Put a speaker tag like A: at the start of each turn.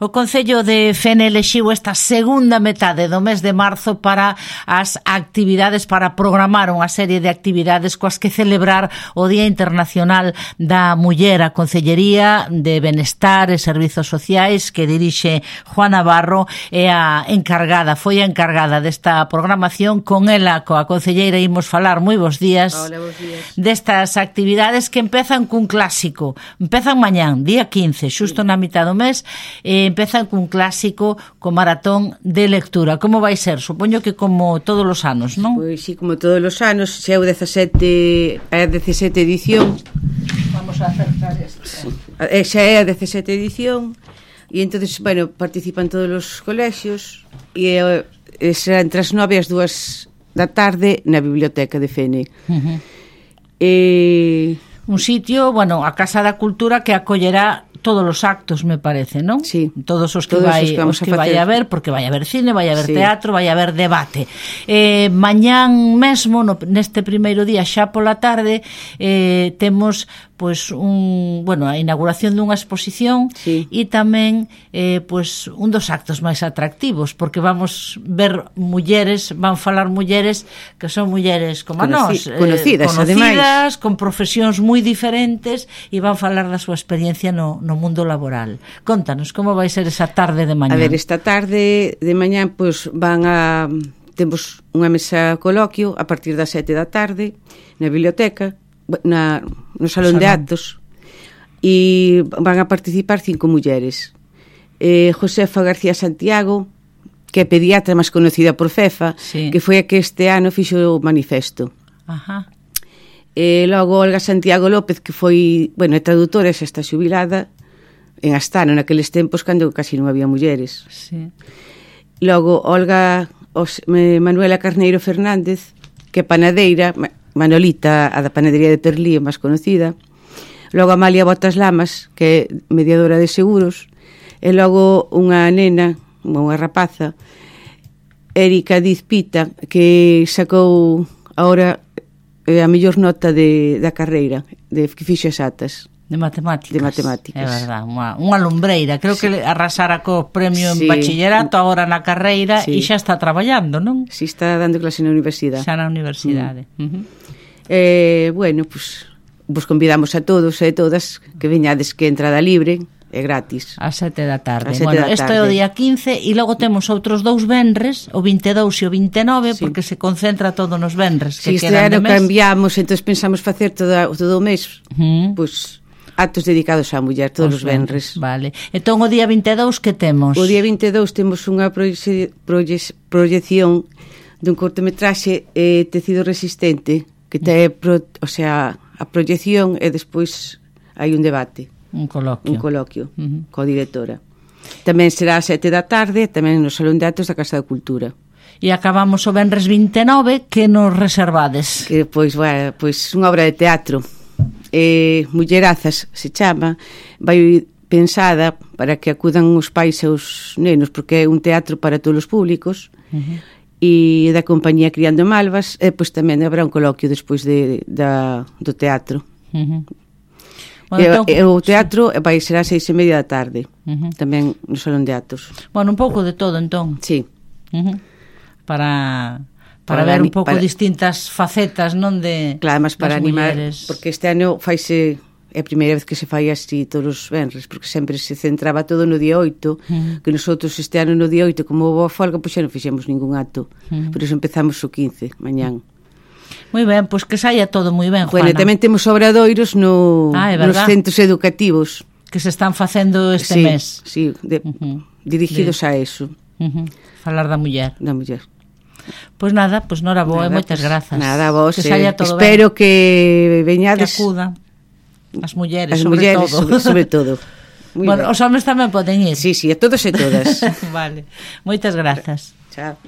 A: O Concello de Fene elixiu esta segunda metade do mes de marzo para as actividades, para programar unha serie de actividades coas que celebrar o Día Internacional da Muller. A Concellería de Benestar e Servizos Sociais que dirixe Juan Navarro é a encargada, foi a encargada desta programación. Con ela, coa concelleira, imos falar, moi bons días.
B: Hola, bons días.
A: Destas actividades que empezan cun clásico. Empezan mañán, día 15, xusto na mitad do mes, empezan cun clásico co maratón de lectura. Como vai ser? Supoño que como todos os anos, non?
B: Pois sí, como todos os anos, xa é a 17 edición.
A: Vamos a acercar esta.
B: Xa é a 17 edición e entonces, bueno, participan todos os colexios e será entre as 9 e as 2 da tarde na biblioteca de Fene.
A: Un sitio, bueno, a Casa da Cultura que acollerá todos os actos, me parece, non?
B: Sí.
A: Todos os que vai a ver, porque vai a haber cine, vai a haber teatro, vai a haber debate. Mañán mesmo, neste primeiro día, xa pola tarde, temos pois a inauguración dunha exposición e tamén un dos actos máis atractivos, porque vamos ver mulleres, van falar mulleres que son mulleres como nós, conocidas, con profesións moi diferentes, e van falar da súa experiencia no mundo laboral. Contanos, como vai ser esa tarde de mañán?
B: A ver, esta tarde de mañán pois temos unha mesa coloquio a partir das 7 da tarde na biblioteca, no salón de actos, e van a participar 5 mulleres. Josefa García Santiago, que é pediatra máis conocida por FEFA, que foi a que este ano fixo o manifesto. Logo Olga Santiago López, que foi, é traductora, xa está xubilada en Astano, naqueles tempos cando casi non había mulleres. Logo Manuela Carneiro Fernández, que é panadeira, Manolita, a da panadería de Perlí, máis conocida. Logo Amalia Botas Lamas, que é mediadora de seguros. E logo unha nena, unha rapaza, Erika Diz Pita, que sacou agora a mellor nota da carreira, que fixo exatas.
A: De matemáticas.
B: É
A: verdad, unha lumbreira. Creo que arrasara co premio en bachillerato, agora na carreira, e xa está traballando, non?
B: Si, está dando clase na universidade.
A: Xa na universidade.
B: Vos convidamos a todos e todas que veñades, que entrada libre, é gratis.
A: A 7 da tarde. Isto é o día 15 e logo temos outros 2 venres, o 22 e o 29, porque se concentra todo nos venres que quedan de mes.
B: Este ano cambiamos, entón pensamos facer todo o mes, actos dedicados á muller, todos os venres.
A: Vale. Entón, o día 22 que temos?
B: O día 22 temos unha proyección dun cortometraxe Tecido Resistente, que ten, a proyección e despois hai un debate.
A: Un coloquio.
B: Coa directora. Tamén será a 7 da tarde, tamén no Salón de Actos da Casa da Cultura.
A: E acabamos o venres 29, que nos reservades?
B: Que, pois unha obra de teatro. Mullerazas se chama, vai pensada para que acudan os pais e os nenos, porque é un teatro para todos os públicos, e da compañía Criando Malvas, e pois tamén habrá un coloquio despois do teatro. O teatro vai ser ás 6:30 da tarde, tamén no Salón de Actos.
A: Un pouco de todo, entón.
B: Sí.
A: Para ver un pouco distintas facetas, non, de
B: claro, además para animar,
A: mulleres.
B: Porque este ano faise, é a primeira vez que se fai así todos os venres, porque sempre se centraba todo no día 8, que nosotros este ano no día 8, como houve a folga, pois xa non fixemos ningún acto, por iso empezamos o 15, mañán.
A: Moi ben, pois que saia todo moi ben, Juana.
B: Tamén temos obradoiros nos centros educativos
A: que se están facendo este mes.
B: Sí, dirigidos a eso.
A: Falar da muller.
B: Da muller.
A: Pois nada, nora boa, e moitas grazas.
B: Nada, vos.
A: Que saia todo
B: espero
A: ben.
B: Que veñades.
A: Que acuda. As mulleres,
B: sobre todo.
A: Os homes tamén poden ir.
B: Sí, a todos e todas.
A: Vale. Moitas grazas.
B: Chao.